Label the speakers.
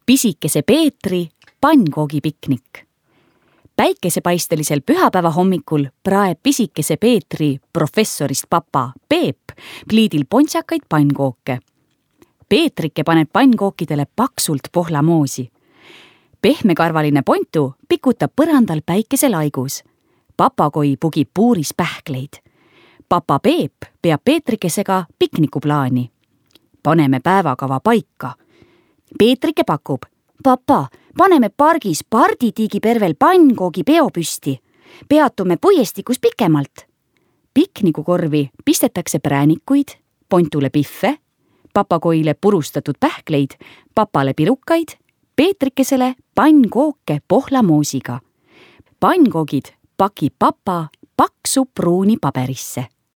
Speaker 1: pisikese Peetri pannkoogipiknik. Päikesepaistelisel pühapäeva hommikul praeb pisikese Peetri professorist papa Peep pliidil pontsakaid pannkooke. Peetrike paneb pannkookidele paksult pohlamoosi. Pehmekarvaline Pontu pikutab põrandal päikeselaigus. Papagoi pugib puuris pähkleid. Papa Peep peab Peetrikesega piknikuplaani. Paneme päevakava paika. Peetrike pakub: papa, paneme pargis parditiigipervel pannkoogi peo püsti. Peatume puiestikus pikemalt. Piknikukorvi pistetakse präänikuid, Pontule pihve, papagoile purustatud pähkleid, papale pirukaid, Peetrikesele pannkooke pohlamoosiga. Pannkoogid pakib papa paksu pruuni paberisse.